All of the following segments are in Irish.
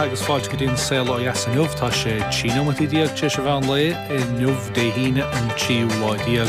agus fáilte go dtí an Saol Ó Dheas inniu. Tá sé 13 nóimeataí tar éis an mheán lae inniu, Dé hAoine an tríú lá déag,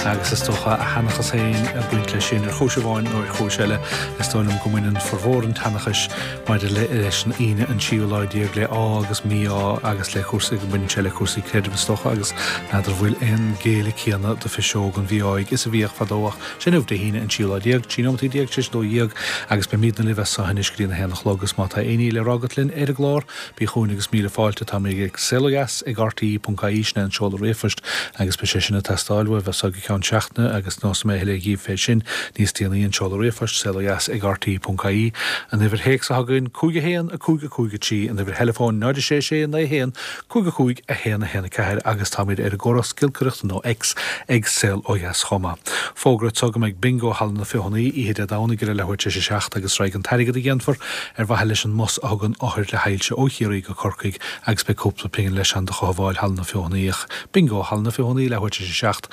agus is dócha a sheanchas féin ag baint leis sin ar chúis amháin nó ar chúis eile. Is dóigh liom go mbaineann formhór an tseanchais maidir leis an Aoine an tríú lá déag le ádh agus mí-ádh agus le cúrsaí, go mbaineann sé le cúrsaí creidimh is dócha agus n'fheadar an bhfuil aon ghéilleadh céanna do phiseog an mhí-áidh is a bhíodh fadó ach Sé inniu Dé hAoine an tríú lá déag, 13 nóimeataí tar éis a 12 agus beimidne libh as so anois go dtí an 1 a chlog agus má tá aon ní le rá agat linn ar an gclár, bí chugainn agus míle fáilte. Táimid ag saolodheas ag rte.ie, sin é an seoladh ríomhphoist agus beidh sé sin ag teastáil uaibh as so go ceann seachtaine agus neosfaidh mé a thuilleadh dhíbh fé sin níos déanaí, an seoladh ríomhphoist, saolodheas ag rte.ie, an uimhir théacs atá againn, 5 1 5 5 3, an uimhir theileafóin 0 6 6 9 1 5 5 1 1 4 agus táimid ar an gcóras giolcaireachta nó X ag Saol Ó Dheas chomh maith. Fógra anseo go mbeidh Bingo Halla na Feothanaí oíche Dé Domhnaigh ar a leathuair tar éis a 7 agus raghaidh an t-airgead a dhéanfar ar mhaithe leis an mbus a thugann othair le hailse ó Chiarraí go Corcaigh agus beidh cúpla pingin leis ann do chothabháil Halla na Feothanaí ach Bingo Halla na Feothanaí leathuair tar éis a 7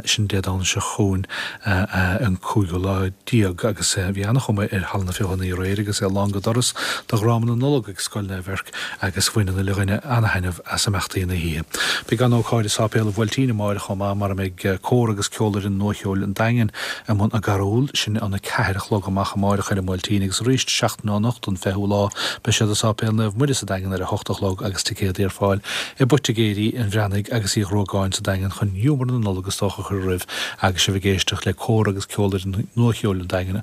sin Dé Domhnaigh seo chugainn an cúigiú lá déag agus bhí an-chuma ar Halla na Feothanaí aréir agus é lán go doras do dhráma na Nollag ag Scoil Naomh Eirc agus bhain an uile dhuine an-thaitneamh as imeachtaí na hoíche. Beidh an-ócáid i Sáipéal an Bhuailtín amáireach chomh maith mar a mbeidh cór agus ceolfhoireann Nuacheoil an Daingin i mbun a gcarúl, sin an 4 a chlog amach amáireach ar an mBuailtín agus arís seachtain ó anocht an 20ú lá beidh siad i Sáipéal Naomh Muire sa Daingean ar a hocht a chlog agus ticéadaí ar fáil i bPoitigéirí an Bhreathnaigh agus Uí Ghruagáin sa Daingean chun giúmar na Nollag is dócha a chur roimh agus sibh ag éisteacht le cór agus ceolfhoireann Nuacheoil an Daingin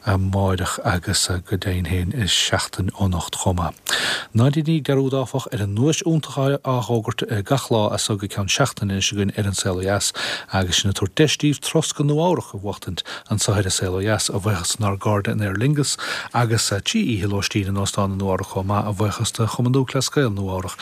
amáireach agus go deimhin féin i seachtain ó anocht chomh maith. Ná déanaigí dearúd áfach ar an nduais iontach á fhógairt gach lá as so go ceann seachtaine anois againn ar An Saol Ó Dheas agus sinn ag tabhairt deis daoibh turas go Nua Eabhrac a bhuachtaint anso ar An Saol Ó Dheas a bhuíochas dár gcairde in Aer Lingus agus 3 oíche lóistín in Óstán i Nua Eabhrac chomh maith a bhuíochas do Chumann Lúthchleas Gael Nua Eabhrac.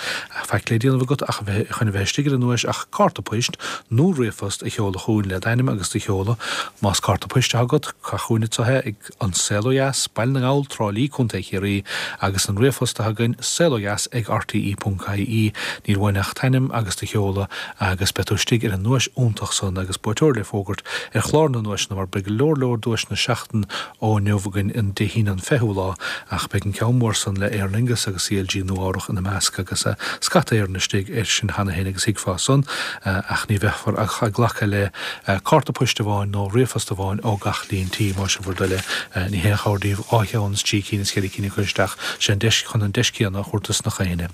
Faic le déanamh agat ach a bheith chun a bheith istigh ar an nduais ach cárta poist nó ríomhphost a sheoladh chugainn le d'ainm agus do sheoladh. Más cárta poist atá agat, caith chugainn anso é ag An Saol Ó Dheas, Baile na nGall, Trá Lí, Co. Chiarraí, agus an ríomhphost atá againn, saolodheas ag rte ponc ie. Níl uainn ach t'ainm agus do sheoladh agus beidh tú istigh ar an nduais iontach san agus buaiteoir le fógairt ar chlár na nduaiseanna mar beidh go leor leor duaiseanna seachtain ó inniu againn an Dé hAoine an 20ú lá ach beidh an ceann mór san le Aer Lingus agus CLG Nua Eabhrach ina measc agus scata Éireann istigh air sin cheana féin agus thuigfeá san ach ní bheifear ach ag glacadh le cárta poist amháin nó ríomhphost amháin ó gach líon tí, más é bhur dtoil é. Ní haon chabhair daoibh dhá cheann is trí cinn is ceithre cinn a chur isteach, sé an deis chun an deis céanna a thabhairt dos na héinne.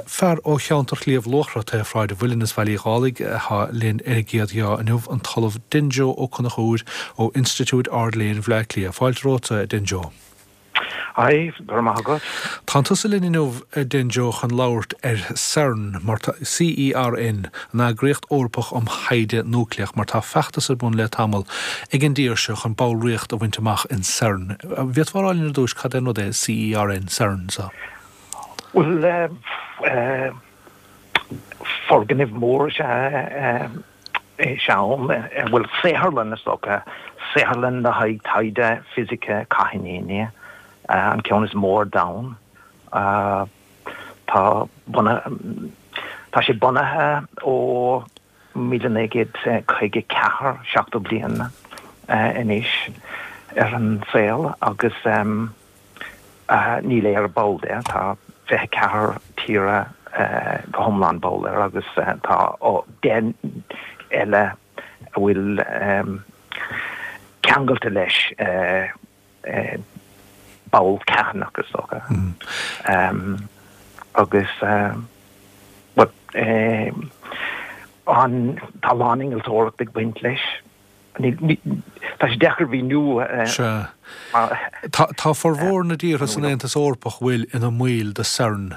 Fear ó cheantar Shliabh Luachra taobh Shráid an Mhuilinn is Bhaile Uí Dhálaigh atá linn ar an gcéad gheá inniu, an tOllamh Denjo Ó Conchúir ó Institiúid Ard-Léinn Bhaile Átha Cliath. Fáilte romhat, a Denjo. Hi, go raibh maith agat. Tánn tusa linn inniu, a Denjo, chun labhairt ar CERN, mar tá, CERN, an Eagraíocht Eorpach um Thaighde Núicléach, mar tá feachtas ar bun le tamall ag an dtír seo chun ballraíocht a bhaint amach in CERN. An bhféadfá a rá linn ar dtús cad é an rud é CERN, CERN, so? Bhuel, foirgneamh mór is ea é CERN, bhuel, saotharlann is dócha, saotharlann le haghaidh taighde fisice cáithníní, an ceann is mó ar domhan. Tá tá sé bunaithe ó 1954, 70 bliain anois ar an saol agus Níl Éire ball de, tá 24 tíre go hiomlán ball air agus tá 10 eile a bhfuil ceangailte leis, ball carthanach is dócha. Agus tá a lán innealtóireacht ag baint leis. Tá sé deacair a mhíniú. Sea. Tá formhór na dtíortha san Aontas Eorpach bhfuil ina mbaill de CERN.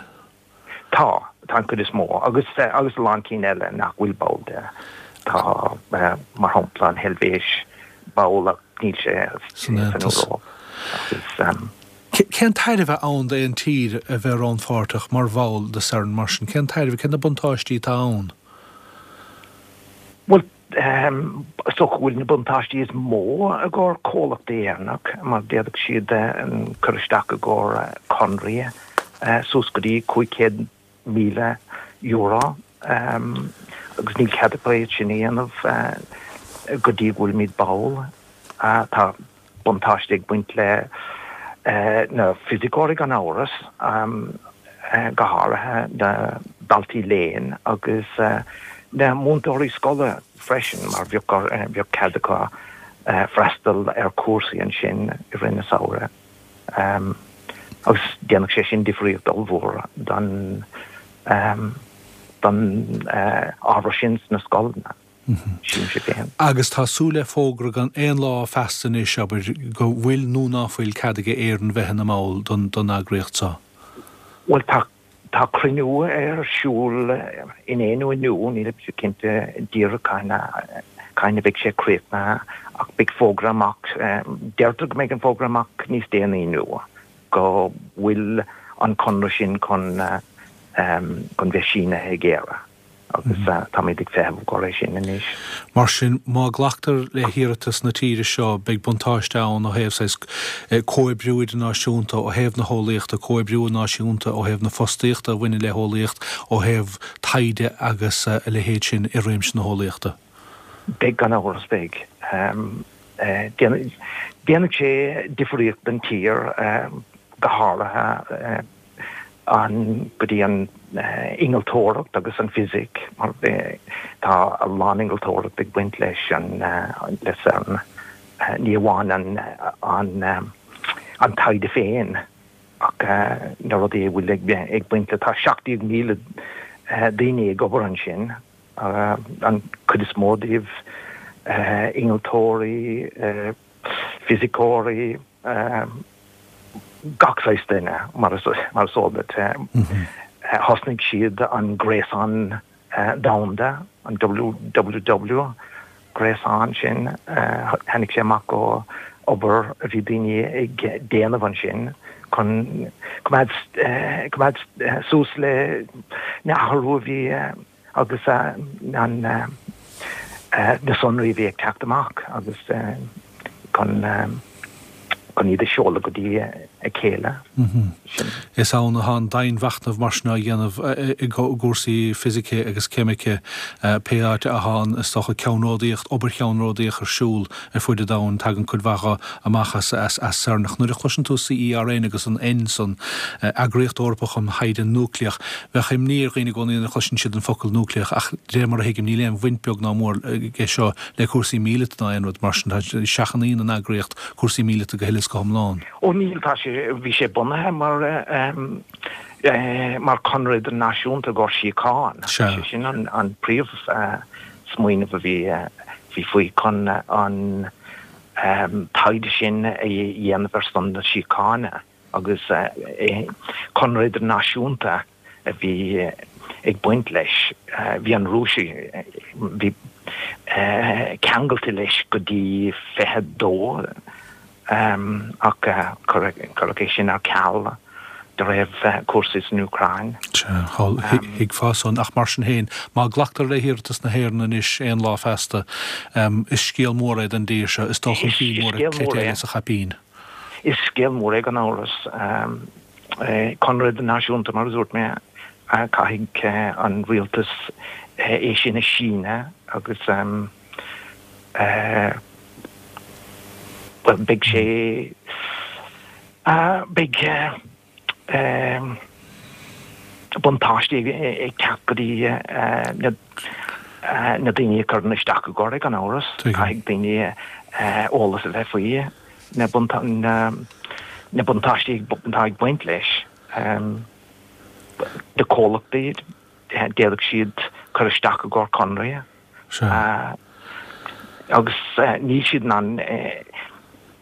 Tá. Tá an chuid is mó. Agus agus a lán cinn eile nach bhfuil ball de. Tá, mar shampla, an Heilvéis ball ach níl sé san Aontas. Agus. Cén tairbhe ann d'aon tír a bheith rannpháirteach mar bhall de CERN mar sin? Cén tairbhe, cé na buntáistí atá ann? Bhuel, Is dócha go bhfuil na buntáistí is mó i gcomhair comhlachtaí Éireannach mar d'fhéadfadh siad cur isteach i gcomhair conraí suas go dtí €500,000 agus níl cead acu é sin a dhéanamh go dtí go bhfuilimid ball. Tá buntáiste ag baint le. Na fisiceoirí gan amhras, go háirithe na daltaí léinn agus na múinteoirí scoile freisin mar bheadh cead acu freastal ar chúrsaí ansin i rith na samhradh. Agus déanfaidh sé sin difríocht ollmhór don ábhar sin sna scoileanna. Sílimse féin. Agus tá súil le fógra gan aon lá feasta anois, abair, go bhfuil nó ná fuil cead aige Éirinn bheith ina mball don eagraíocht seo. Bhuel, tá, tá cruinniú ar siúl inné nó inniu, nílimse cinnte díreach cathain a, cathain a bheidh sé críochnaithe, ach beidh fógra amach, deirtear go mbeidh an fógra amach níos déanaí inniu, go bhfuil an conradh sin chun, chun bheith sínithe ag Éire. Agus táimid ag feitheamh i gcomhair é sin anois. Mar sin, má glactar le hiarratas na tíre seo, beidh buntáiste ann ó thaobh saghas comhoibriú idirnáisiúnta, ó thaobh na heolaíochta, comhoibriú náisiúnta ó thaobh na fostaíochta a bhaineann le heolaíocht, ó thaobh taighde agus a leithéid sin i réimse na heolaíochta. Beidh, gan amhras, beidh. Déanfaidh sé difríocht don tír, go háirithe. an go dtí an innealtóireacht agus an fisic mar tá a lán innealtóireacht ag baint leis an le CERN ní amháin an an an taighde féin ach na rudaí a bhfuil ag ag baint le tá 17,000 daoine ag obair ansin an chuid is mó díobh innealtóirí fisiceoirí gach saghas duine, mar is eol duit. Thosnaigh siad an gréasán domhanda, an WWW gréasán sin, tháinig sé amach ó obair a bhí daoine ag déanamh ansin chun coimeád coimeád suas le na athrú a bhí agus an na sonraí a bhí ag teacht amach agus chun chun iad a sheoladh go dtí a chéile. Sin. Is ann atá an domhainmhachnamh mar sin á dhéanamh i gcúrsaí fisice agus ceimice, pé áit atá an, is dócha, ceannródaíocht, obair cheannródaíoch ar siúl ar fuid an domhain, tagann cuid mhaith dho amach as CERN. Ach nuair a chloiseann tú CERN agus an N san, Eagraíocht Eorpach um Thaighde Núicléach, bheadh imní ar dhaoine i gcónaí nuair a chloiseann siad an focal núicléach ach de réir mar a thuigim níl aon bhaint beag ná mór aige seo le cúrsaí míleata ná aon rud mar sin. Seachnaíonn an eagraíocht cúrsaí míleata go huile is go hiomlán. Ó níl, tá sé, bhí sé bunaithe mar mar chonradh idirnáisiúnta i gcomhair síocháin. Sea. Sé sin an an príomh smaoineamh a bhí bhí faoi chun an taighde sin a dhéanamh ar son na síochána agus conradh idirnáisiúnta a bhí ag baint leis. Bhí an Rúis bhí ceangailte leis go dtí 22 ach cuireadh é sin ar ceal de réir cúrsaí san Úcráin. Sea, thuigfeá san. Ach mar sin féin, má glactar le hiarratas na hÉireann anois aon lá feasta, is scéal mór é don dtír seo. Is dul chun cinn mór é, cleite eile sa chaipín. Is scéal mór é gan amhras. Conradh idirnáisiúnta, mar a dúirt mé, caithfidh an rialtas é sin a síneadh agus bhuel, beidh sé, beidh buntáistí ag teacht go dtí na daoine a chuireann isteach i gcomhair é, gan amhras. Caithfidh daoine eolas a bheith faoi na buntáistí atá ag baint leis. Na comhlachtaí, d'fhéadfadh siad cur isteach i gcomhair conraí. Agus níl siad in ann,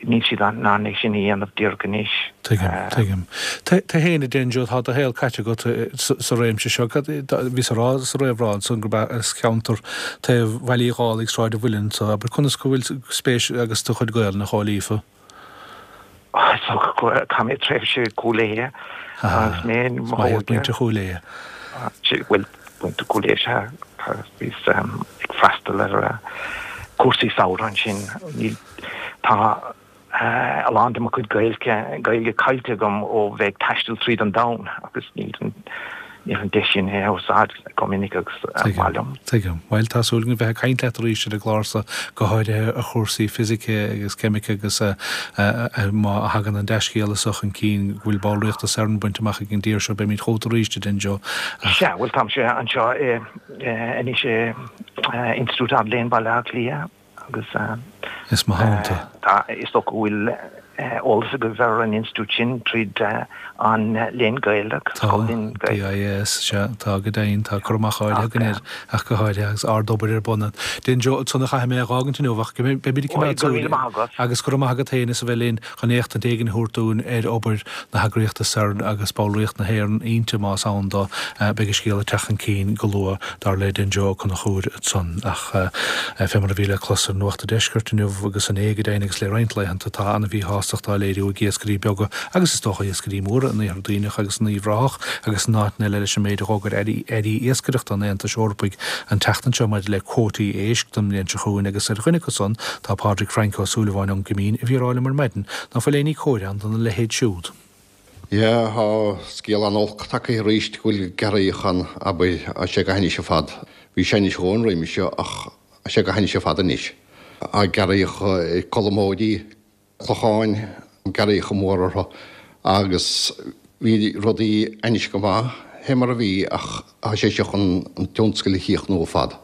níl siad in ann é sin a dhéanamh díreach anois. Tuigim, tuigim. Tú féin, a Denjo, tá do shaol caite agat sa réimse seo. Bhíos ag rá sa réamhrá ansan gurb as ceantar taobh Bhaile Uí Dhálaigh, Sráid an Mhuilinn, so abair conas go bhfuil spéis agus do chuid Gaelainne chomh líofa? Chaith mé tréimhse i gCúil Aodha agus mé i mo óige. Muintir Chúil Aodha. Bhuel, muintir Chúil Aodha sea. Bhíos ag freastal ar chúrsaí samhraidh ansin. Níl, tá a lán de mo chuid Gaeilge, Gaeilge caillte agam ó bheith ag taisteal tríd an domhan agus níl. Níl an deis sin é a úsáid go minic agus ba mhaith liom. Tuigim. Bhuel, tá súil againn bheith ag caint leat arís ar an gclár so, go háirithe ar chúrsaí fisice agus ceimice agus má thagann an dea-scéala so chun cinn go bhfuil ballraíocht i CERN bainte amach ag an dtír seo, beimid chugat arís, a Denjo. Ach. Sea, bhuel, táimse anseo anois i Institiúid Ard-Léinn Bhaile Átha Cliath. Agus Is mo theannta. tá, is dócha go bhfuil eolas agaibh ar an institiúid sin tríd an Léann Gaelach, Tá, Scoil Léinn Gaelach. DIAS, sea, tá go deimhin, tá cur amach áirithe againn air ach go háirithe agus ard-obair ar bun ann. Denjo, ansan a chaithfidh mé a dh'fhágaint inniu ach go mbeimid ag coimeád Go raibh míle maith agat. Agus go raibh maith agat féin as a bheith linn. chun éachtaint éigin a thabhairt dúinn ar obair na heagraíochta CERN agus ballraíocht na hÉireann inti, más ann dó. Beidh an scéal ag teacht chun cinn go luath, dar le Denjo Ó Conchúir ansan. Ach fé mar a bhí le clos ar Nuacht an Deiscirt inniu agus inné go deimhin agus le roinnt laethanta, tá an-mhíshástacht á léiriú ag iascairí beaga agus is dócha iascairí móra in Iarthar Duibhneach agus in Uíbh Ráthach agus in áiteanna eile leis an méid a dh'fhógair airí iascaireachta an Aontais Eorpaigh an tseachtain seo maidir le cuótaí éisc don mbliain seo chugainn agus ar dhuine acu san tá Pádraig Frainc Ó Súilleabháin ón gCoimín a bhí ag rá liom ar maidin ná fuil éinní cóir ann dona leithéid siúd. Yeah, tá scéal an-olc tagtha arís go bhfuil gearraíoch ann, abair, tá sé go hainnis ar fad. Bhí sé ainnis dhóthain roimis seo ach tá sé go hainnis ar fad anois. Tá gearraíoch ar Colmóirí, Clocháin, gearraíocha mór orthu agus bhí rudaí ainnis go maith fé mar a bhí ach tá sé seo chun an tionscal a chríochnú ar fad.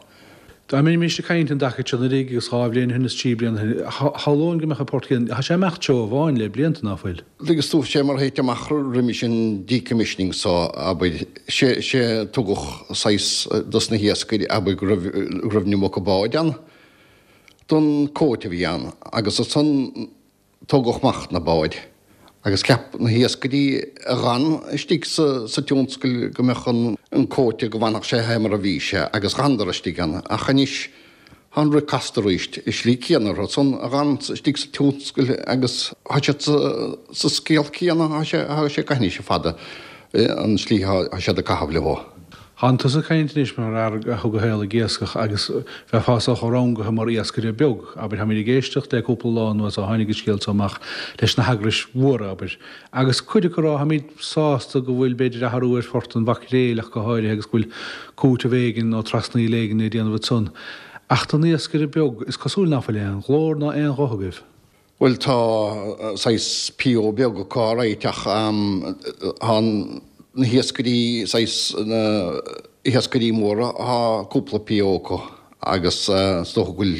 Dá mbeimis ag caint an dtaca seo anuraidh agus 2 bhliain ó shin is 3 bliana ó shin, shamhlóinn go mbeadh an port céanna. Tá sé ag imeacht seó amháin le blianta, ná fuil? Agus tú, sé mar a thit amach roimis an decommissioning so, abair, sé, sé tugadh saghas dos na hiascairí, abair, go raibh, go raibh an iomarca báid ann. don quota a bhí ann agus ansan tógadh amach na báid agus cheap na hiascairí a dh'fhan istigh sa tionscal go mbeadh an quota go bhfanfadh sé fé mar a bhí sé agus dh'fhanadar istigh ann ach anois tá an rith casta arís i slí céanna orthu san a dh'fhan istigh sa tionscal agus tá siad sa scéal céanna tá sé tá sé go hainnis fada an slí tá siad ag caitheamh leo. Thánn tusa ag caint anois mar fhear a thug a shaol ag iascach agus bheifeá sách rangaithe mar iascaire beag, abair. Táimid ag éisteacht le cúpla lá anuas ó tháinig an scéal so amach leis na heagrais mhóra, abair, agus cuid acu ag rá táimid sásta go bhfuil b'fhéidir athrú ar phort an mhaicréil ach go háirithe agus go bhfuil cúiteamh éigin nó trasnaíl éigin le déanamh ansan. Ach don iascaire beag, is cosúil ná fuil aon ghlór ná aon ghuth agaibh. Bhuel tá saghas PO beag acu alright ach tá na hiascairí saghas na hiascairí móra tá cúpla PO acu agus is dócha go bhfuil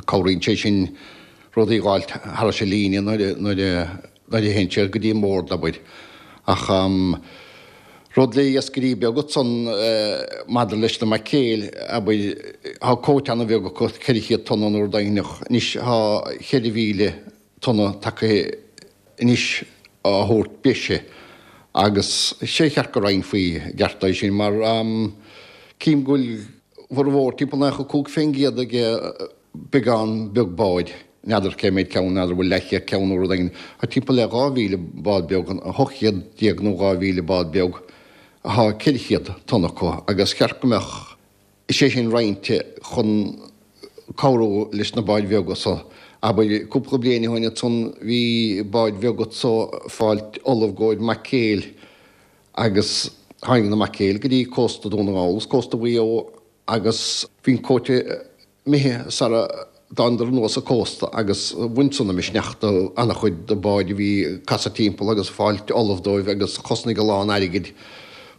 cabhraíonn sé sin rudaí a dh'fháilt thairis an líne nuair a nuair a nuair a théann siad go dtí an mbord abair ach rud le iascairí beaga ansan maidir leis na maicréil, abair, tá quota ana-bheag acu, 400 tonna nó rud éigineach. Anois tá 4,000 tonna tagtha anois á thabhairt breise agus sé cheart go roinnfí i gceart é sin mar cím go bhfuil formhór timpeall 95% ag beagán beag báid, n'fheadar cé méid ceann, n'fheadar bhfuil leathchéad ceann nó rud éigin, tá timpeall le 2,000 bád beag, 800 nó 2,000 bád beag, tá 400 tonna acu agus cheart go mbeadh sé sin roinnte chun cabhrú leis na báid bheaga so. Abair, cúpla bliain ó shin ansan bhí báid bheaga anso ag fáilt ullamh i gcomhair maicréil agus tháinig na maicréil go dtí cósta Dún na nGall agus cósta Mhaigh Eo agus bhí an quota imithe sara dtánadar anuas an cósta agus bhain san an misneach do an-chuid de báid a bhí ag casadh timpeall agus ag fáilt ullamh dóibh agus chosnaigh a lán airgid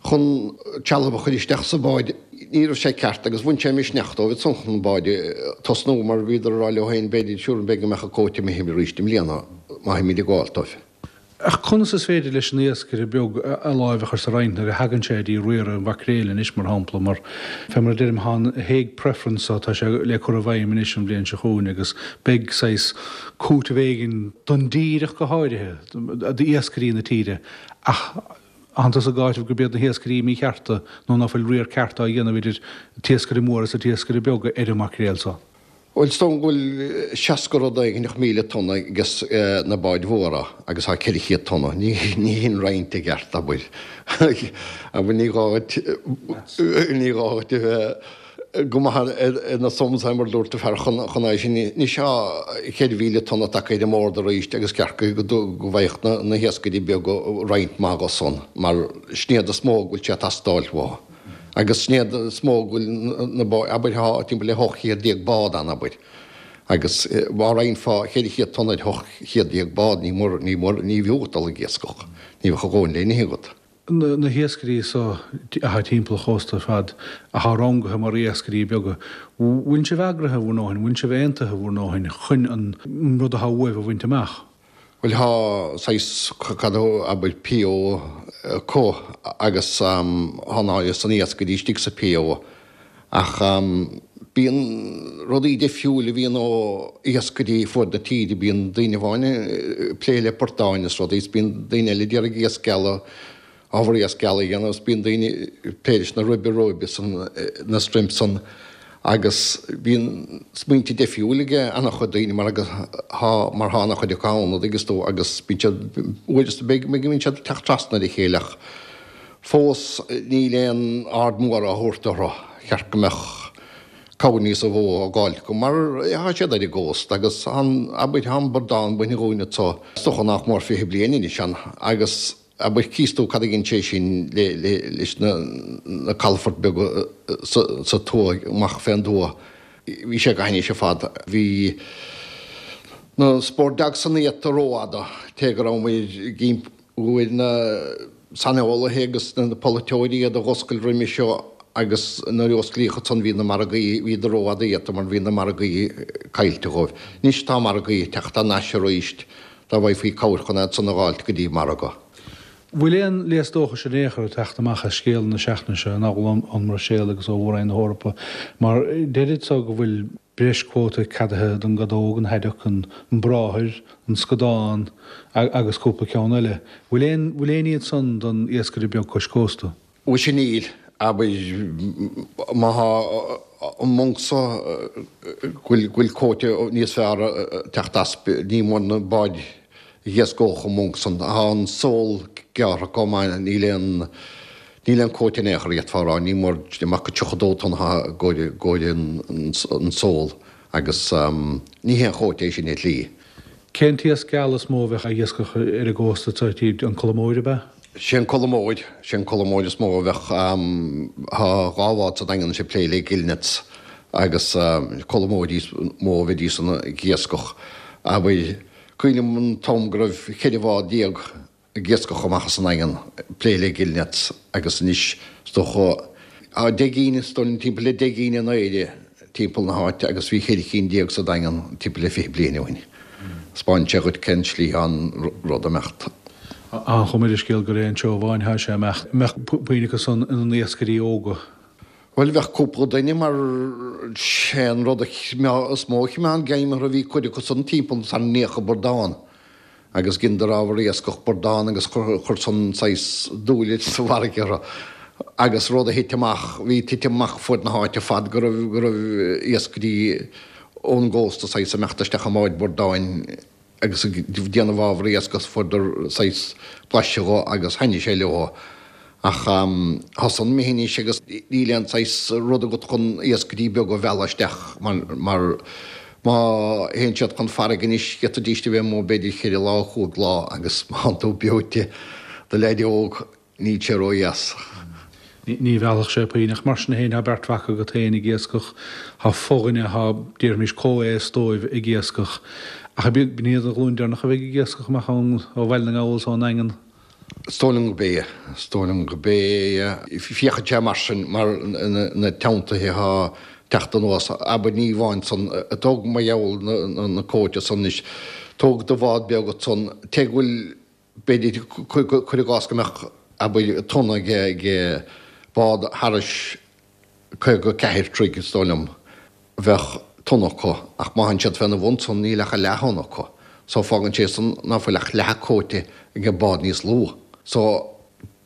chun trealamh a chur isteach sa bád. Ní raibh sé ceart agus bhain sé misneach dóibh ansan chun báid a tosnú mar bhíodar ag rá leo féin b'fhéidir siúr b'fhéidir go mbeadh an quota imithe arís i mbliana má théimid ag gabháil dóibh. Ach conas is féidir leis an iascaire beag a láimh a chur sa roinnt nuair a thagann sé dtí riaradh an mhaicréil anois, mar shampla, mar fé mar a deirim, tá an Hague Preference so, tá sé le cur i bhfeidhm anois an bhliain seo chugainn agus beidh saghas cúiteamh éigin don dtír ach go háirithe, d'iascairí na tíre. Ach thánn tusa ag áiteamh gurb iad na hiascairí míchearta nó ná fuil riar ceart á dhéanamh idir an t-iascaire mór agus an t-iascaire beag ar an maicréal so. Bhuel, is dóigh go bhfuil 60 rud éigineach 1,000 tonna ages na báid mhóra agus tá 400 tonna. Ní hin roinnt i gceart, abair. Abair, ní gá dhuit, ní gá dhuit a bheith. go maith ar na sums mar a dúirt an fear chun é sin. Anois tá 4,000 tonna tagtha ar an mbord arís agus ceart go bhfaigheadh na hiascairí beaga roinnt mhaith dho san mar sin iad is mó go bhfuil sé ag teastáil uathu. Agus sin iad is mó go bhfuil na báid, abair tá timpeall le 1800 bád ann abair agus má roinnfeá 400 tonna ar 1800 bád ní mór, ní mór, ní bhfiú dul ag iascach, ní bheadh a dhóthain le n-ithe agat. Na hiascairí so atá timpeall an chósta ar fad, atá rangaithe mar iascairí beaga, bhfuil sibh eagraithe bhur ndóthain, bhfuil sibh aontaithe bhur ndóthain chun an rud atá uaibh a bhaint amach? Bhuel tá saghas, cad a abair, PO acu agus tá an san iascairí istigh sa PO Ach bíonn rudaí difriúil a bhíonn ó iascairí fuaid na tíre, bíonn daoine amháin ag plé le portáin is rudaí is bíonn daoine eile ag iarraidh iasc geala, ábhar iasc geala a dhéanamh is bíonn daoine ag plé leis na ribe róibe san, na shrimp san agus bíonn smaointe difriúil ag an-chuid daoine mar agus thá, mar thá an-chuid acu ann, an dtuigeanns tú, agus bíonn siad, uair is beag go mbíonn siad ag teacht trasna ar a chéile ach. Fós níl aon aird mhór á thabhairt orthu. Cheart go mbeadh cabhair níosa mhó á gabháil acu mar tá siad ar an gcósta agus tá an, abair, tá an bradán bainte dhúinn anso is dócha nach mór 20 bliain anois ann agus abair cíos tú cad a dhein sé sin le, le, leis na, na calafoirt beaga sa, sa tuath, amach fén dtuath. Bhí sé go hainnis ar fad. Bhí na sport dogs san iata rófhada, té go raibh muid ag Fuair na saineolaithe agus na polaiteoirí iad a dh'oscailt roimhe seo agus nuair a osclaíodh ansan bhí na margaí, bhíodar rófhada iata mar bhí na margaí caillte dhóibh. Anois tá margaí ag teacht thar n-ais aríst dá bhfaighfí cabhair chun iad san a dh'fháilt go dtí margadh. Bhfuil aon léas dóchais in aon chor ag teacht amach as scéala na seachtaine seo, in ón mBruiséil agus ó Mhór-Roinn na hEorpa, mar deirid so go bhfuil breis cuóta ceadaithe don gcadóg, an haddock, an bráthair, an scadán agus cúpla ceann eile. Bhfuil aon, bhfuil aon ní ansan don iascaire beag cois cósta? Mhuise níl. Abair, má thá an monk so, go bhfuil, go bhfuil cuóta níos fearr ag teacht as, ní mór na báid a dh'iascódh an monk san. Thá an sól gearrtha chomh maith, níl aon, níl aon cuóta in aon chor d'fhéadfá a rá, ní mór amach go 32 tonna atá i gcomhair an sól agus ní haon chuóta é sin ar shlí. Cén t-iasc geal is mó a bheadh á iascach ar an gcósta anseo tíd, an colamóir ab ea? Sé an colamóir, sé an colamóir is mó a bheadh, thá dhá bhád sa Daingean anois ag plé le gillnets agus colamóirí is mó a bheidís ag iascach. Abair, Cuimhním an t-am go raibh 14 bhád ag iascach amach as an nDaingean ag plé le gillnets agus anois is dócha tá 10 gcinn, is dóigh liom timpeall le 10 gcinn in Éire timpeall na háite agus bhí 14 cinn sa Daingean timpeall le 20 bliain ó shin. Spáineann sé dhuit cén tslí atá an rud ag imeacht. Tá an chuma ar an scéal gur é an seó amháin atá sé ag imeacht. An mbeadh puinn acu san ina n-iascairí óga? Bhuel, bheadh cúpla duine mar sé an rud is mó a choimeád greim orthu, bhí cuid acu san timpeall thar 90 bradán agus dheineadar ábhar iascach bradán agus chuir san saghas dúil sa bhfarraige orthu agus rud a thit amach, bhí titim amach fuaid na háite ar fad go raibh, go raibh iascairí ón gcósta saghas ag imeacht isteach i mbáid bradáin agus ag déanamh ábhar iascaigh fuaireadar saghas blaiseadh dho agus thaitnigh sé leo. Ach tá san imithe anois agus níl aon saghas rud agat chun iascairí beaga a mhealladh isteach mar má théann siad chun farraige anois d'fhéadfaidíst a bheith amuigh b'fhéidir cheithre lá, chúig lá agus má thánn tú beoite do leaid óg Níl sé ródheas. Ní mheallfadh sé puinn, ach mar sin féin, tá beirt mhac agat féin ag iascach, tá fodhuine, tá, déarfaimis, comhaos dóibh ag iascach. Ach ab iad an ghlúin deireanach a bheidh ag iascach amach ó Bhaile na nGall is ón nDaingean? Is dóigh liom gurb ea. Is dóigh liom gurb ea. Féachann sé mar sin, mar na teanntaithe atá teacht anuas. Abair, ní amháin san, tóg mar gheall na cuóta san anois, tóg do bhád beag ansan, té go bhfuil B'fhéidir, cuir i gcás go mbeadh, abair, tonna ag bád thairis 54 troigh, is dóigh liom, bheadh tonna acu, ach má théann siad féna bhun san, níl ach a leath-thonna acu. So fágann sé san ná fuil ach leath cuóta ag an bád níos lú. So,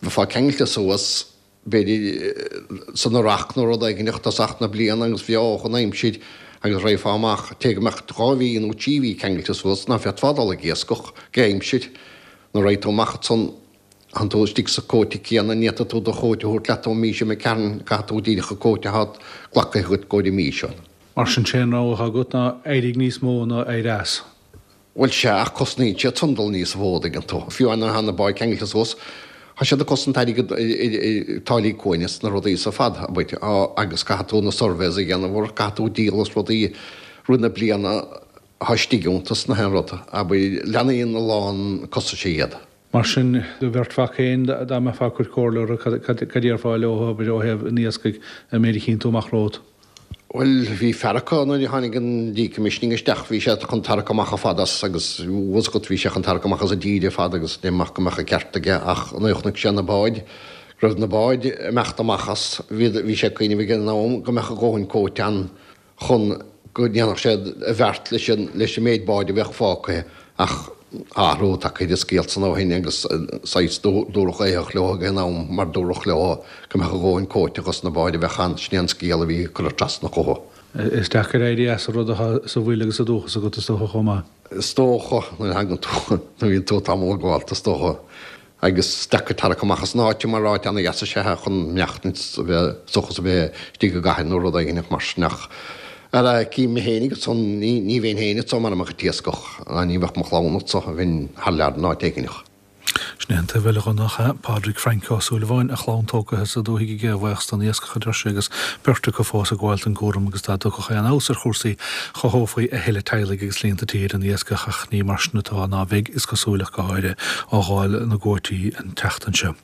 bheifeá ceangailte suas. b'fhéidir, san earrach nó rud éigin ag tosach na bliana agus bheadh an aimsir agus raghfá amach, té go mbeadh dhá mhí nó trí mhí ceangailte suas ná féadfá dul ag iascach gé aimsir nuair a raghaidh tú amach ansan. Tánn tú istigh sa quota céanna, ní fhéadfaidh tú do chuóta a thabhairt leat ón mí seo imigh tharainn, caithfidh tú díreach an quota atá glactha agat i gcomhair an mí seo. Mar sin, sé an rogha atá agat ná éirigh níos mó ná éirí as. Bhuel sea, ach cosnaíonn siad san dul níos mó, an dtuigeann tú. Fiú amháin nuair atá na báid ceangailte suas, tá siad ag cosaint airgead ar táillí cuain is na rudaí is ar fad, abair, agus caithfidh tú na surveys a dhéanamh orthu, caithfidh tú díol as rudaí rith na bliana atá istigh iontu is na haon rud, abair, leathnaíonn a lán costais iad. Mar sin, do bheirt mhac féin, dá mbeifeá ag cur comhairle orthu, cad a déarfá leo, abair, ó thaobh an iascaigh, an méid a chíonn tú amach romhat? Bhuel, bhí fear acu nuair a tháinig an decommissioning isteach, bhí sé chun tarrac amach ar fad as agus, bhfuil 'fhios agat, bhí sé chun tarrac amach as an dtír ar fad agus deirim amach go mbeadh an ceart aige ach nuair a chonaic sé na báid, go raibh na báid ag imeacht amach as, bhí, bhí sé ag cuimhneamh ag an am go mbeadh a dhóthain quota ann chun go ndéanfadh sé a bheart leis an leis an méid báid a bheadh fágtha ach tá athrú tagtha ar an scéal san ó shin agus saghas dúradh éitheach leo ag an am mar dúradh leo go mbeadh a dhóthain quota dos na báid a bheadh ann, sin é an scéal a bhí curtha trasna chucu. Is deacair éirí as an rud atá sa bhfuil agus sa dúchas agat is dócha chomh maith. Is dócha, nuair a thagann tú, nuair a bhíonn tú tamall ag gabháil, is dócha. Agus is deacair tarrac amach as an áit mar áit ana-dheas is ea é chun maireachtaint is a bheith seachas a bheith istigh i gcathair nó rud éigin mar sin ach ara cím mé féinig ansan ní ní bheinn féin anso mara mbeadh an t-iascach ná ní bheadh mo chlann anso bheinn thar lear in áit éigineach. Sin é an taobh eile dhon nach ea? Pádraig Frainc Ó Súilleabháin, a chlann tógtha sa dúthaigh aige, a bhuíochas don iascach, a deir sé, agus beirt acu fós ag gabháil don gcúram agus dá dtiocfadh aon fheabhas ar chúrsaí chothófaí a thuilleadh teaghlaigh agus líonta tí ar an iascach ach ní mar sin atá ná bheidh, is cosúil, ach go háirithe ó dháil na gcuótaí an tseachtain seo.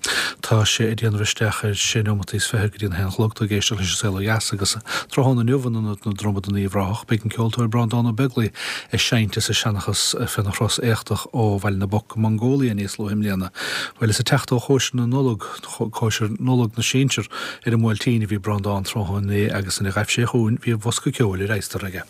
Tá sé ag déanamh isteach ar sé neomataí is fiche go dtí an haon a chlog. Tú ag éisteacht leis an Saol Ó Dheas agus tráthnóna inniu in Ionad na Dromad in Uíbh Ráthach beidh an ceoltóir Breandán Ó Beaglaoi ag seinnt is ag seanchas féna thuras éachtach ó Bhaile na bPoc go Mongólia níos luaithe i mbliana. Bhuel is ag teacht ó chóisir na Nollag, cóisir Nollag na Sinsear ar an mBuailtín a bhí Breandán tráthnóna inné agus nuair a ghaibh sé chugainn bhí a bhosca ceoil ar adhastar aige.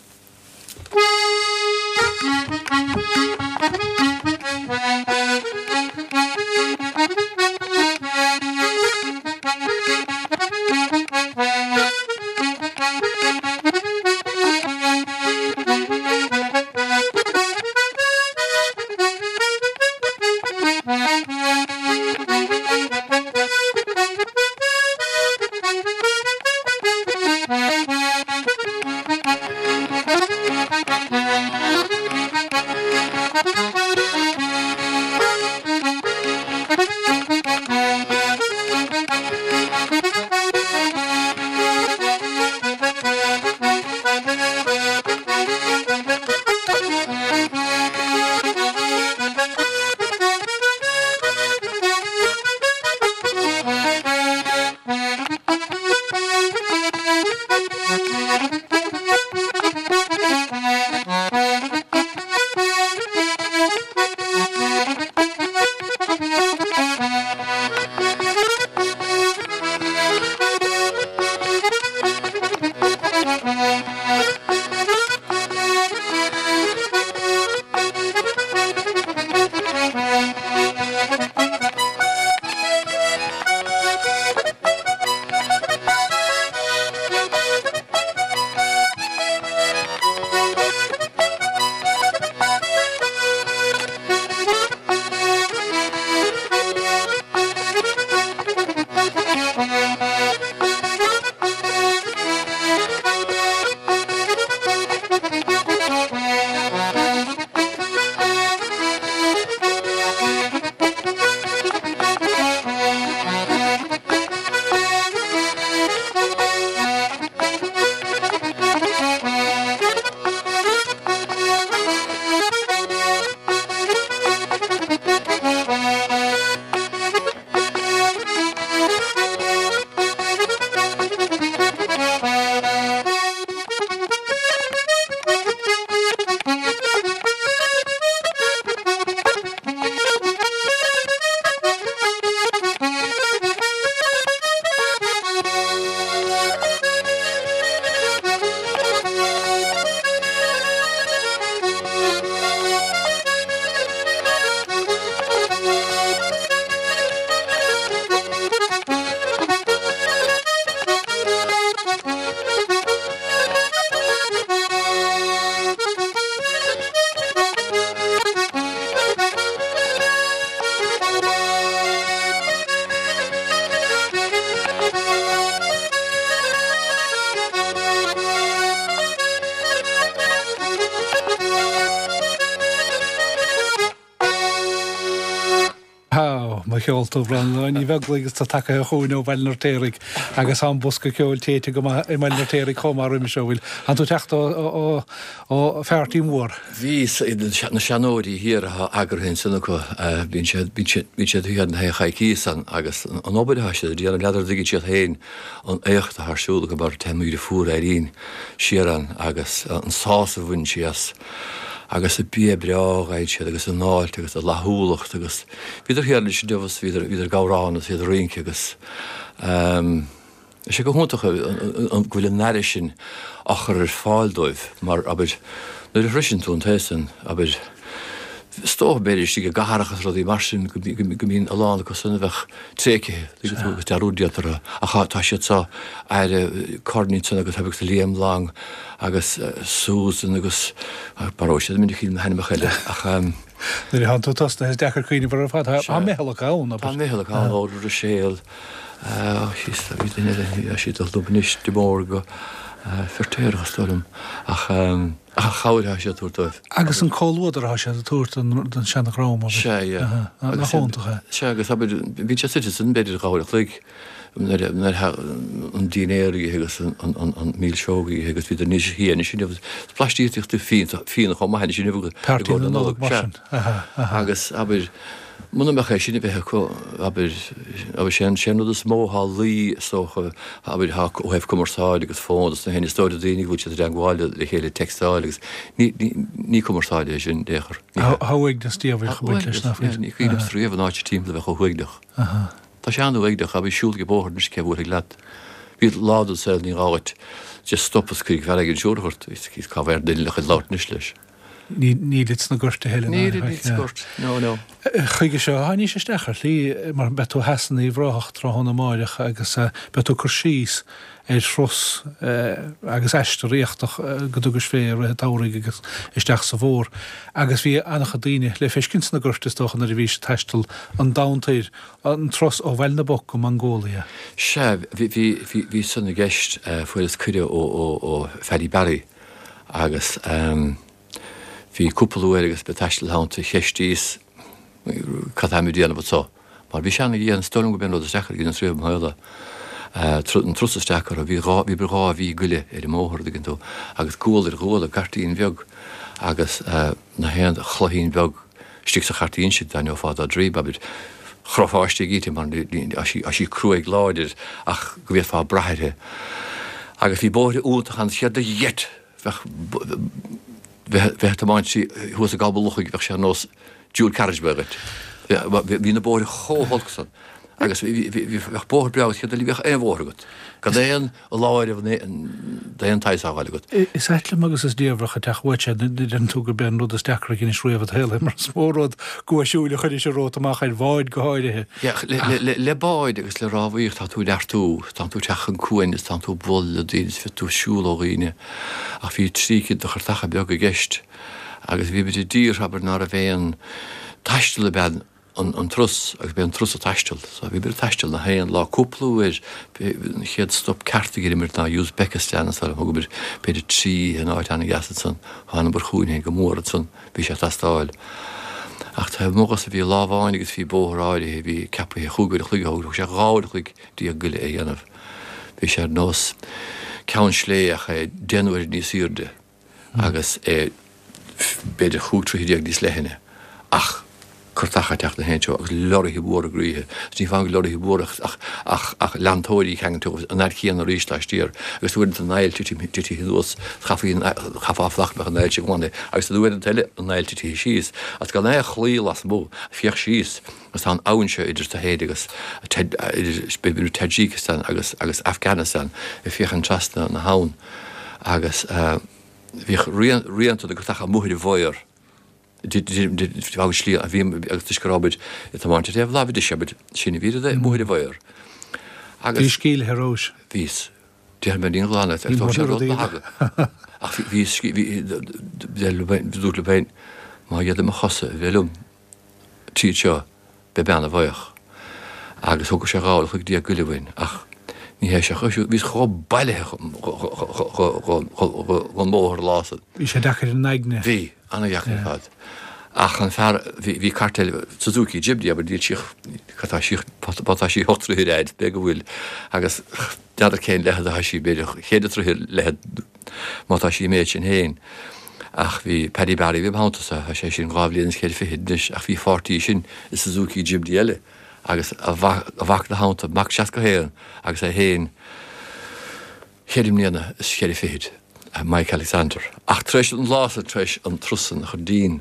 Mo cheol tú, Breandán Uí Bheaglaoich agus tú tagaithe chugainn ó Bhaile an Fheirtéaraigh agus tá an bosca ceoil téite go maith i mBaile an Fheirtéaraigh chomh maith roimhe seo, bhfuil? Tánn tú ag teacht ó pháirtí mhór. Bhí, na seanóirí thiar atá eagraithe ansan acu, bíonn siad, bíonn siad, bíonn siad thiar na haon choicíos ann agus an obair atá siad a déanamh, n'fheadar an dtuigeann siad féin an éacht atá ar siúl acu mar téann mo dheirfiúr Irene siar ann agus an sásamh a bhaineann sí as agus an bia breá a fhaigheann siad agus an fháilte agus a fhlaithiúlacht agus bhíodar thiar anois inniu agus bhíodar, bhíodar ag amhrán agus iad ag rince agus ehm tá sé go hiontach go bhfuil an aire sin á chur ar fáil dóibh mar abair nuair a shroiseann tú an taobh san abair is dócha b'fhéidir istigh i gcathracha is rudaí mar sin go mbíonn a lán acu san a bheadh tréigthe, tuigeann tú, agus dearúd déanta orthu. Ach tá siad seo, aire Corny ansan agus agus Liam Long agus Susan agus maróidh siad mé ní na hainmneacha eile ach. Nuair a thánn tú tosnaithe is deacair cuimhneamh orthu ar fad. Tá meitheal acu ann, abair. Tá meitheal acu ann, Óra Ruiséal, síos, bhí duine eile, bhí siad dul dom anois, de Mór go Feirtéarach is dóigh liom ach. Ach an chabhair atá siad a tabhairt dóibh. Agus an comhluadar atá siad a tabhairt don seanadhream, abair. Sea, yeah. Nach iontach é. Sea, agus abair, bíonn siad suite ansin b'fhéidir dhá uair a chloig nuair a an dinnéar a ithe agus an mílseog a ithe agus bhíodar níos sia anois inniu. Is blaistíocht fíona chomh maith anois inniu i gcomhair na Nollag. Sea. Agus abair, Muna mbeadh é sin a bheith acu, abair, abair, sé an, sé an rud is mó atá luí, is dócha, abair, atá ó thaobh cumarsáid agus fón agus na héinne, is dóigh le daoine go bhfuil siad i dteagmháil le chéile, textáil agus ní, ní, ní cumarsáid é sin, in aon chor. Ní hea. Tá uaigneas diabhalach ag baint leis, nach bhfuil? Ní cuimhin liomsa riamh an áit timpeall a bheith chomh huaigneach. Tá sé an-uaigneach, abair, siúl ag an bóthar anois cé a bhuailfidh leat. Bhí lá den saol ní gá dhuit just stop is cuirfidh fear éigin siúrach ort, is cá bhféadfadh duine le chuid labhairt anois leis. Nílid sna goirt a thuilleadh. Nílid sna goirt, no, no. Chuige seo, tháinís isteach ar shlí, mar beidh tú theas in Uíbh Ráthach tráthnóna amáireach agus beidh tú ag cur síos ar thuras agus aistear éachtach go dtugais fé i rith an tsamhraidh agus isteach sa bhfómhar. Agus bhí an-chuid daoine le feiscint sna goirt is dócha nuair a bhís ag taisteal an domhan toir, an turas ó Bhaile na bPoc go Mongólia. Sea, bhí, bhí, bhí, bhí san i gceist, fuaireas cuireadh ó, ó, ó Phaddy Barry, Agus bhí cúpla uair agus mé ag taisteal thonnta cheistíos cad táim ag déanamh anso. Mar bhí sé ana-dhian, is dóigh liom gurb é an rud is deacra a dheineas riamh i mo shaol é. An turas is deacra, bhí dhá, bhí dhá mhí go leith ar an mbóthar, an dtuigeann tú, agus gual ar ghual i gcairtín bheag agus na haon chloichín bheag istigh sa chairtín sin, dá ngeofá dá droim, abair, chroithfeá istigh inti mar tá sí, tá sí cruaidh láidir ach go bhféadfá brath uirthi. Agus bhí bóithre iontacha ann, céard a gheit, bheadh, bheith ag tiomáint trí thuas i gCob an Lochaigh, bheadh sé ar nós dual carriageway dhuit. Bhí na bóithre chomh holc san agus bheadh bóthar breá agat, céard eile, bheadh aon bhóthar agat, gan aon aláireamh d'aon tsaghas á fháil agat. Is ait liom agus is diamhrach ag teacht uait sé nuair a deireann tú gurb é an rud is deacra a dheinis riamh i do shaol é mar is mó rud guaisiúil a chuiris romhat amach ar bhád go háirithe. Le báid agus le rámhaíocht tá tú ag neartú, tá tú ag teacht chun cuain is tá tú ag bualadh le daoine is bíonn tú ag siúl ó dhaoine ach bhí trí cinn de chairteacha beaga i gceist agus bhí muid i dtír abair ná raibh aon taisteal ab ea an turas agus b'é an turas an taisteal. So bhí muid ag taisteal na haon lá cúpla uair an chéad stop ceart a dheineamar ná Uzbekistan ansan thugamar b'fhéidir trí oíche in áit an-dheas ansan thaitin chugainn féin go mór ansan bhí sé ag teastáil. Ach taobh amuigh dhó san bhí lá amháin agus bhí bóthar áirithe a bhí ceapaithe chúig uair a chloig a thóg sé dhá uair a chloig déag go leith a dhéanamh. Bhí sé ar nós Ceann Sléibhe ach é deich n-uaire níos aoirde. agus é b'fhéidir chúig troithe déag níos leithne, ach cairteacha ag teacht na haon treo agus lorraithe mhóra gaoithe. Is ní amháin go lorraithe mhóra ach, ach, ach leantóirí ceangailte agus an fhad chéanna arís laistiar agus uaireanta an aill titithe, titithe anuas, chaithfí an, chaithfeá fanacht go mbeadh an aill sin glan agus uaireanta eile an aill titithe síos agus gan aon chlaí lasmuigh, féach síos agus tá an abhainn seo idir tú féin agus, idir Tajikistan agus, agus Afghanistan ag féachaint trasna na habhann. agus bhíodh rianta de chairteacha amuigh ar an bhféar agus slí a bhí agus toisc go raibh muid ag tiomáint ar thaobh láimhe deise abair sin a bhí amuigh ar an bhféar. Agus Bhí scílithe romhais. Bhíos. Déarfaidh mé níl glan ag tóg sé rud maith agat. Ach bhí bhí dúirt liom féin má d'fhéadfadh mo chosa a bheith liom tríd seo beidh mé ana-bhuíoch. Agus thógadh sé dhá uair a chloig déag go leith uainn, ach ní hé seo, bhíos chomh bailithe dhon mbóthar an lá san. Bhí sé deacair ar an aigne. Bhí, ana-dheacair ar fad. Ach an fear, bhí, bhí cairt eile, Suzuki Jimny, abair, níl sí, cad tá sí, má tá sí ocht dtroithe ar fhaid, b'fhéidir go bhfuil, agus n'fheadar cén leithead atá sí, b'fhéidir cheithre troithe leithead má tá sí an méid sin féin. Ach bhí Paddy Barry a bhí im theannta-sa, tá sé sin dhá bhliain is ceithre fichid anois, ach bhí pháirtí sin i Suzuki Jimny eile agus a mhac, a mhac ina theannta, mac 61 agus é féin, cheithre mbliana is cheithre fichid, Mike Alexander. Ach tar éis an lá san, tar éis an turas san a chur dínn,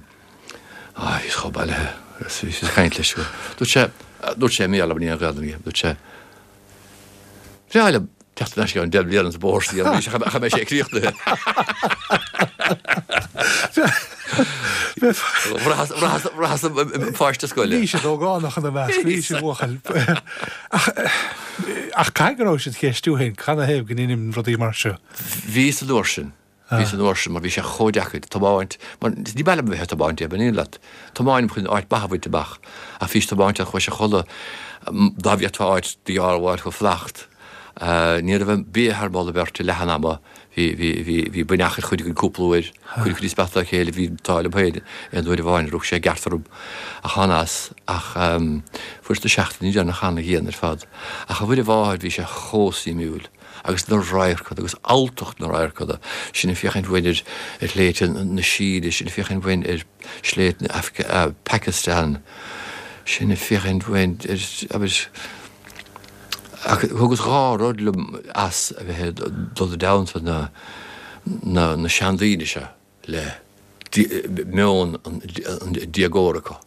á, bhíos chomh bailithe agus bhíos ag caint leis go, dúirt sé, dúirt sé i mBéarla, mar ní aon Ghaelainn aige, dúirt sé, Bhreá liom teacht ar ais go ceann deich mbliana sa bóthar san arís ach cha mbeidh sé críochnaithe. Bhraitheas im pháiste scoile. Bhí siad ógánach ina measc, bhí siad buachaill. Ach caithfidh go raibh siad ag ceistiú féin, canathaobh go ndeinim rudaí mar seo? Bhí san uair sin. Bhí san uair sin mar bhí sé chomh deacair tiomáint, mar ní maith liom a bheith ag tiomáint, an aon leat. Tiomáinim chun áit mhaith a bhaint amach ach bhís tiomáint ar chois a chodladh dá bhféadfá áit d'fháil chomh flacht. Ní raibh bia thar moladh beirte leath an ama. Bhí, bhí, bhí, bhí buinneach ar chuid againn cúpla uair, cuireadh níos measa dá chéile, bhí an t-ádh liom féin aon uair amháin, rug sé i gceart orm ach thána as, ach fuaireas na seachtainí deireanacha ana-dhian ar fad. Ach a Mhuire Mháthair, bhí sé chomh suimiúil, agus na radharcanna, agus alltacht na radharcanna, sinn ag féachaint uainn ar, ar shléibhte na Síne, sinn ag féachaint uainn ar shléibhte na Afga, Pakistan, sinn ag féachaint uainn ar, abair, Ach thugas dhá rud liom as a bheith ag dul i dteannta na na seandaoine seo le meon an déagóra acu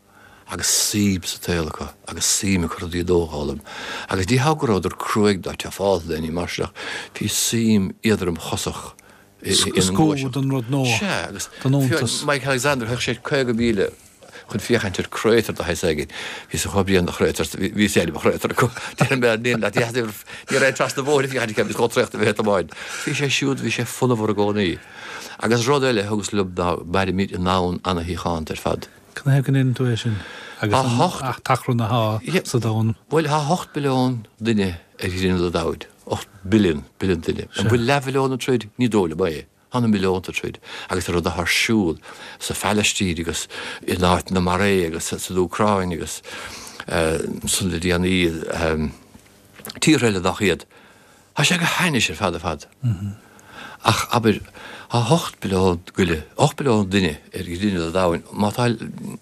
agus suim sa tsaol acu agus suim acu rudaí a d'fhoghlaim. Agus ní hea go rabhadar cruaidh ná tefálta nó éinní mar sin ach bhí suim éadromchosach ina ngluaiseacht. don rud nua, Sea, agus don iontas. Mike Alexander, théadh sé 50 míle chun féachaint ar crater de shaghas éigin. Bhí sé chomh bréan de chrater, bhí sé ainm chrater acu. Déarfaidh mé, níl leat, ní raibh trasna bhóthair ag féachaint acu, bhí chomh traochta bheith ag Bhí sé siúd, bhí sé fonnmhar i gcónaí. Agus rud eile a thugas liom ná mairimid i ndomhan ana-shíochánta ar fad. Canathaobh go ndeireann tú é sin? Agus an t-achrann atá sa domhan? Bhuel, tá 8 billiún duine ar ghrinneall an domhain. 8 billion, billion duine. An bhfuil leathbhilliún ag troid? Ní dóigh liom é. Tá na milliúnta ag troid. Agus an rud atá ar siúl sa Phalaistín agus in áiteanna mar é agus san Úcráin agus ansan le déanaí tíortha eile nach iad, tá sé go hainnis ar fad ar fad. Ach abair, tá 8 billiún goile, 8 billiún duine ar ghrinneall an domhain, má tá,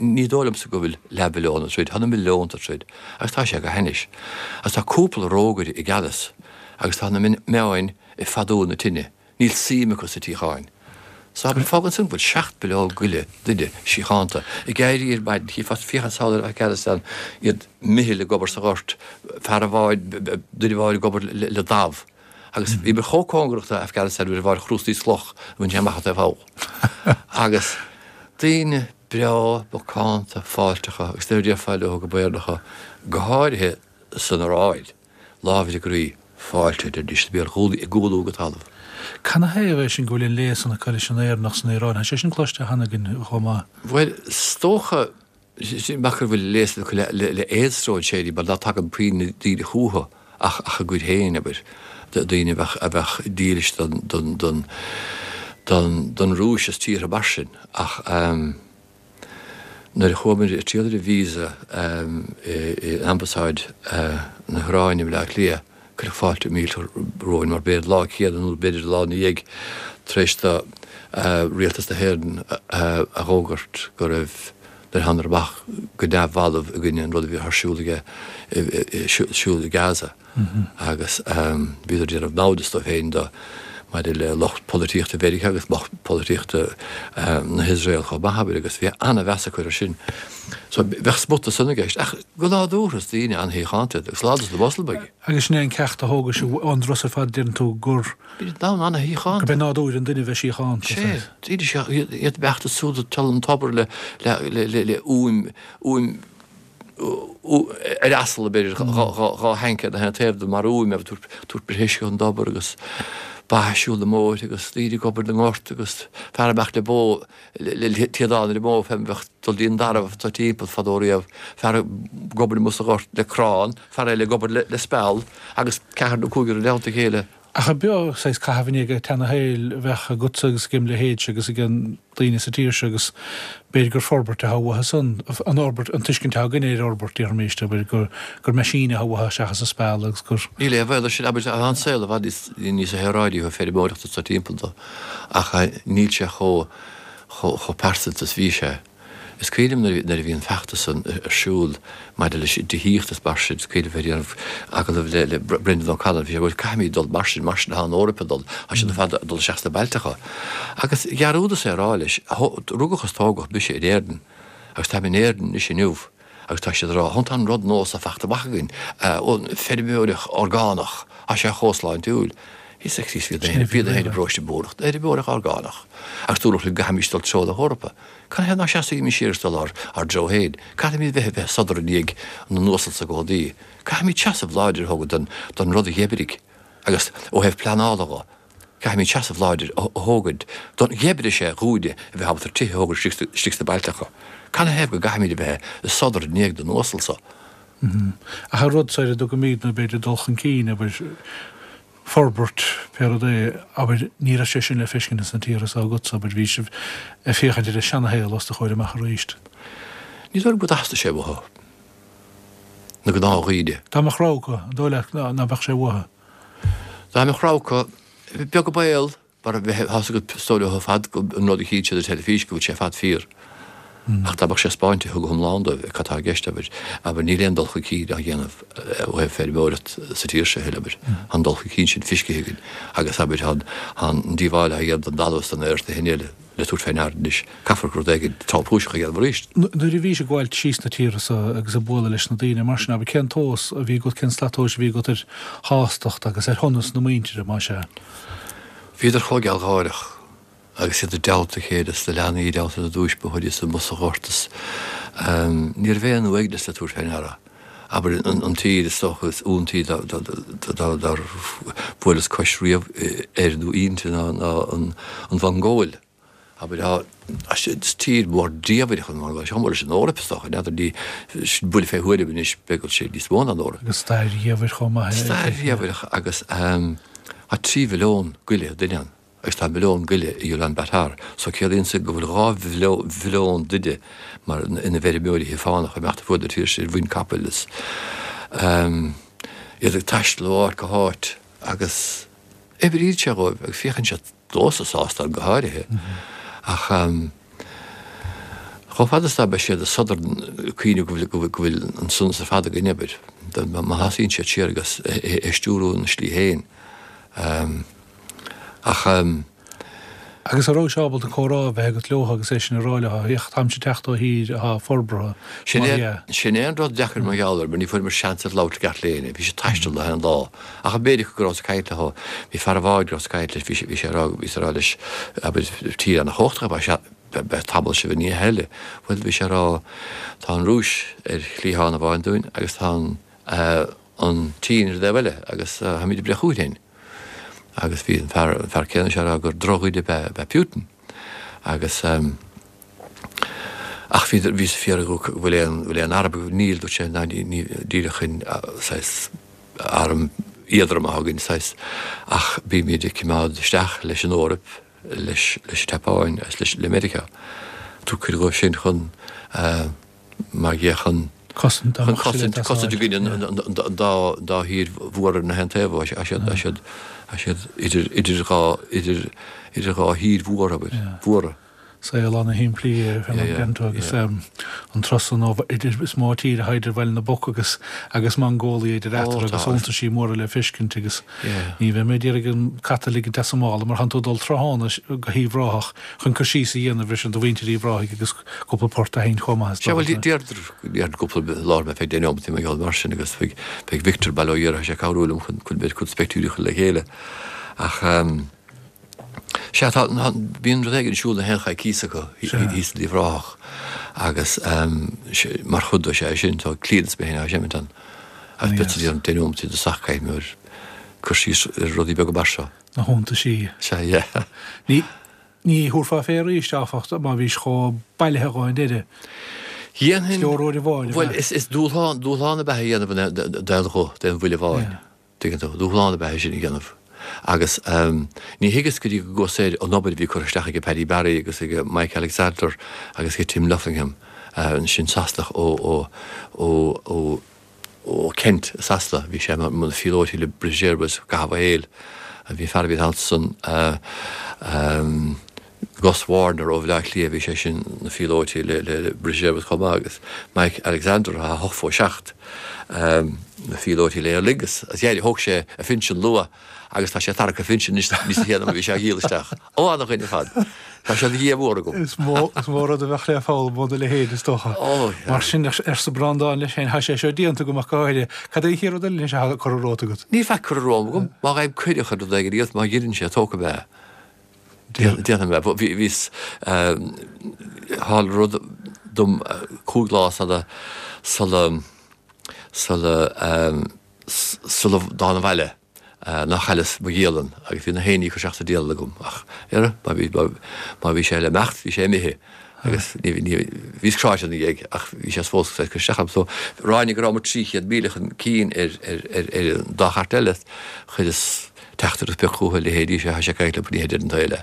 ní dóigh liomsa go bhfuil leathbhilliún ag troid, tá na milliúnta ag troid. Agus tá sé go hainnis. Agus tá cúpla rógaire i gceannas agus tá na meáin ag fadú na tine. Níl suim acu sa tsíocháin. So abair, fágann san go bhfuil 7 billiún goile duine síochánta ag éirí ar maidin, chífeá féachaint sall ar Afghanistan, iad meitheal ag obair sa ghort, fear amháin, duine amháin ag obair le damh. Agus bhíomar chomh cóngarach do Afghanistan uair amháin chrústaí cloch a bhain sé amach an taobh thall. Agus daoine breá, macánta, fáilteacha agus nuair a déarfá leo go b'Éireannacha, go háirithe san Iaráin, lámh ar a gcroí, fáilte, a deiridís, a bhí ag gualú go talamh. Canathaobh é sin go bhfuil an léas san acu leis an Éireannach san Iaráin? Tá sé sin cloiste cheana againn chomh maith. Bhuel, is dócha, nach bhfuil léas acu le aon stróinséirí mar ná tagann puinn na daoine chúthu ach a gcuid féin, abair, daoine a bheadh dílis don Rúis is tíortha mar sin. Ach nuair a chuamar ag triall ar an visa in Ambasáid na hIaráine i mBleá Cliath, Cuireadh fáilte mhillteach romhainn mar b'é an lá céanna nó b'fhéidir an lá ina dhiaidh tar éis do Rialtas na hÉireann a dh'fhógairt go raibh nuair a thánadar amach go neamhbhalbh i gcoinne an rud a bhí ar siúl aige siúl i Gaza agus bhíodar ag déanamh naimhdeas dóibh féin do maidir le lucht polaitíochta Mheiriceá agus lucht polaitíochta na hIosrael chomh maith abair agus bhí ana-mheas acu air sin. So bheadh spota san i gceist ach go nádúrtha is daoine an-shíochánta iad agus lán dos na Moslamaigh. Agus sin é an ceacht a thógais ón dturas ar fad, deireann tú, gur. Bíonn domhan an-shíochánta. Gurb é nádúr an duine a bheith síochánta. Sea, daoine seo, iad ag beacht is súd ag teacht an tobar le, le, le, le, le úim, úim, ar asal, b'fhéidir, dhá thanc ar na haon taobh de mar úim, ag tabhairt uisce ón dtobar agus ba ag siúl na mbóithre agus daoine ag obair na ngort agus fear amach le bó le téadán ar an mbó fé mar a bheadh dul dtí an dtarbh atá timpeall fadó riamh, fear ag obair amuigh sa ghort le crann, fear eile ag obair le speal agus ceathrar nó cúigear i dteannta a chéile. Ach ab eo saghas caitheamh i ndiaidh an tseana-shaoil a bheadh agatsa agus ag im leithéidse agus ag an daoine sa tír seo agus b'fhéidir gur forbairt atá uathu san, an fhorbairt, an tuiscint atá againne ar fhorbairt, déarfaimis, abair, gur, gur meaisíní atá uathu seachas an speal agus gur. Níl aon bhaol air sin, abair, tá an saol i bhfad níos, níos saoráidí ó thaobh feirmeoireachta sa timpeall dó ach níl sé chomh, chomh, chomh pearsanta is bhí sé. Is cuimhin liom nuair a bhí an feachtas san ar siúl maidir leis an tithíocht is mar sin, is cuimhin liom bheith ag déanamh agallamh le Brendan O'Connell, bhí sé bhuel caithfimid dul mar sin, mar sin atá an Eoraip ag dul, tá siad ar fad ag dul isteach sna bailteacha. Agus dhearúdas é a rá leis, rugadh is tógadh mise in Éirinn agus táim in Éirinn anois inniu agus tá siad ag rá, tá an rud nua seo fachta amach againn, feirmeoireacht orgánach, tá sé chomh sláintiúil. Bhíos ag Críost, bhí na héin bróiste buarach, feirmeoireacht orgánach agus dúradh linn go gcaithfimís dul treo na hEorpa. Canathaobh ná seasfaimís siar agus dul ár dtreo féin? Caithfimid bheith ag sodar i ndiaidh na n-uasal sa gcónaí. Caithfimid seasamh láidir a thógaint don rud a dh'oibrigh agus ó thaobh pleanála dho, caithfimid seasamh láidir a thógaint don dh'oibrigh sé dhúinne a bheith ábalta tithe a thógaint istigh sna bailteacha. Canathaobh go gcaithfimid a bheith ag sodar i ndiaidh na n-uasal so? Ach an rud so ar a dtugaimid nó b'fhéidir dul chun cinn, abair, forbairt, pé rud é, abair, ní raibh sé sin le feiscint ins na tíortha so agatsa, abair, bhí sibh ag féachaint ar an seanashaol os do chomhair amach arís. Ní dóigh liom go dteastaigh sé uathu, na gnáthdhaoine. Dá mbeadh rogha acu, an dóigh leat ná beadh sé uathu? Dá mbeadh rogha acu, beag an baol. Mar a bheith, tá's agat, is dóigh leo ar fad go an rud a chíonn siad ar teilifís go bhfuil sé ar fad fíor. Ach dá mbeadh sé spáinte go hiomlán dóibh cad tá i gceist, abair, abair, níl aon dul chun cinn á dhéanamh ó thaobh feirmeoireacht sa tír seo a thuilleadh, abair. Tá an dul chun cinn sin fiscithe againn agus, abair, tá an díobháil á dhéanamh don dtalamh is don aer is na hinne eile le tabhairt fé ndeara anois. Caithfear rud éigin tromchúiseach a dhéanamh arís. Nuair a bhís ag gabháilt síos na tíortha so agus ag bualadh leis na daoine mar sin, abair, cén tomhas a bhí agat, cén slat tomhais a bhí agat ar shástacht agus ar shonas na muintire, más ea? Bhíodar chomh gealgháireach agus iad i dteannta a chéile is na leanaí i dteannta na dtuismitheoirí is amuigh sa ghort is ní raibh aon uaigneas le tabhairt fé ndeara. Abair an tír is dócha is iontaí dár bhuaileas cois riamh air nó inti ná an Mhongóil. Abair, tá, is tír mhór diamhair an Mhongóil, chomh mór leis an Eoraip is dócha, n'fheadar, ní, sin buille fé thuairim anois, b'fhéidir go bhfuil sé níos mó ná an Eoraip. Agus stair dhiamhair chomh maith aici. Stair dhiamhair agus tá 3 mhilliún go leith duine ann agus tá milliún go leith i Ulaanbaatar, so ciallaíonn sin go bhfuil 2 mhilliún duine mar ina bhfeirmeoirí fánacha ag imeacht ar fuaid na tíre sin ar mhuin capaill is iad ag taisteal ó áit go háit agus oibríonn sé dhóibh agus féachann siad domhsa sásta go háirithe. Ach chomh fada is dá mbeidh siad ag sodar ag cuimhneamh go bhfuil go bhfuil an sonas ar fad againn, abair, má thosaíonn siad siar agus é stiúrú ina slí féin. Ach. Agus an rabhais ábalta comhrá a bheith agat leo agus é sin a rá leo, féach, táimse ag teacht ó thír atá forbartha, Sin mar é, dhea. sin é an rud deacair mar gheall air, mar ní fuaireamar seans ar labhairt le gach éinne. Bhí siad ag taisteal le haon lá. Ach an méid acu go rabhas ag caint leo, bhí fear an bháid go rabhas ag caint leis, bhí sé, bhí sé ag rá, bhíos ag rá leis, abair, tír ana-chumhachtach ab ea, beidh tamall sibh i ndiaidh a thuilleadh. Bhuel, bhí sé ag rá, tá an Rúis ar chliathán amháin dúinn agus tá an, an tSín ar an dtaobh eile agus táimid ag breith chugainn féin. Agus bhí an fear, an fear céanna seo ag rá gur drochdhuine ab ea, ab ea Putin. Agus, ach bhí, bhíos ag fiafraí dhó bhfuil aon, bhfuil aon arm agaibh, níl, dúirt sé, ná ní, ní, díreach in, saghas, arm éadrom atá againn, saghas, ach bímid ag coimeád isteach leis an Eoraip, leis, leis an tSeapáin agus leis, le Meiriceá. Tabhairt cuireadh dóibh sin chun, mar dhea, chun, Cosaint, chun cosaint, cosaint i gcoinne an, an, an dá, dá thír mhór ar na haon taobh, tá siad, tá siad, tá siad idir, idir dhá, idir, idir dhá thír mhór, abair, mhóra. Saol ana-shimplí é fé mar a deireann tú agus an turas san ó idir is mó tír atá idir Bhaile na bPoc agus agus Mongólia idir eatarthu agus iontaisí móra le feiscint agus ní bheidh mé ag iarraidh an cat a ligint as an mála mar tánn tú ag dul tráthnóna go hUíbh Ráthach chun cur síos a dhéanamh ar sin do mhuintir Uíbh Ráthaigh agus cúpla port a sheinnt chomh maith is Sea, bhuel, d'iarr cúpla lá orm feadh deich neomat mar gheall mar sin agus beidh Victor bail ó Dhia air, tá sé ag cabhrú liom chun b'fhéidir cúpla pictiúirí a chur le chéile ach Sea, tá, bíonn rud éigin ar siúl na haon choicíos acu thíos in Uíbh Ráthach agus mar chuid de sé sin, tá Clíodhna is mé féin á seimint ann. Agus beidh siad ag déanamh deich neomat i dtosach caithfidh mé cur síos ar rudaí beaga mar seo. Na hiontaisí. Sea, yeah. Ní, ní thabharfá fé arís, áfach, má bhís chomh bailithe dhó i ndeireadh. Dhéanfainn. Is leor uair amháin, ab ea? Bhuel, is dúshlán, dúshlán ab ea é a dhéanamh d'aon ghuth, d'aon bhuille amháin. Tuigeann tú, dúshlán ab ea é sin a dhéanamh. Agus ní thuigeas go dtí go gcuas air an obair a bhí curtha isteach ag Paddy Barry agus ag Mike Alexander agus ag Tim Luffingham, sin Sasanach ó, ó, ó, ó, ó Kent i Sasana. Bhí sé mar phíolótaí le British Airways i gcaitheamh a shaoil. Bhí fear a bhí ansan, Gus Warner ó Bhaile Átha Cliath, bhí sé sin ina phíolótaí le British Airways chomh maith agus Mike Alexander atá 87, ina phíolótaí le Aer Lingus. Agus dhear, thóg sé a phinsean luath agus tá sé ag tarrac a phinsin anois níos déanaí ná bhí sé á dhíol isteach. Ó, ana-dhuine ar fad. Tá sé de dhíth mhór agam. Is mó, is mó rud a bheadh le foghlaim óna leithéid, is dócha. Ó, yeah. Mar sin, arsa Breandán leis féin, tá sé seo déanta agam ach go háirithe. Cad é an chéad rud eile anois atá curtha romhat agat? Níl faic curtha romham agam. Má fhaighim cuireadh chun rud éigin a dhéanamh, má dheireann sé, tógfaidh mé é. Déanfaidh mé. Bhíos, tharla rud dom chúig lá sula, sula, sula, sula dtána abhaile nár chailleas mo dhialann agus bhí na haon ní ag cur isteach sa dialann agam ach, ara, má bhí, má bhí sé le imeacht, bhí sé imithe agus ní, ní, bhíos cráite ina dhiaidh ach bhí sé fós ag cur isteach orm. So, ráinig go rabhamar 300,000 chun cinn ar, ar, ar, ar an dá chairt eile, chuireas teachtaireacht beag chucu, a leithéidí, sé, tá sé caillte ní deireadh an tsaoil é.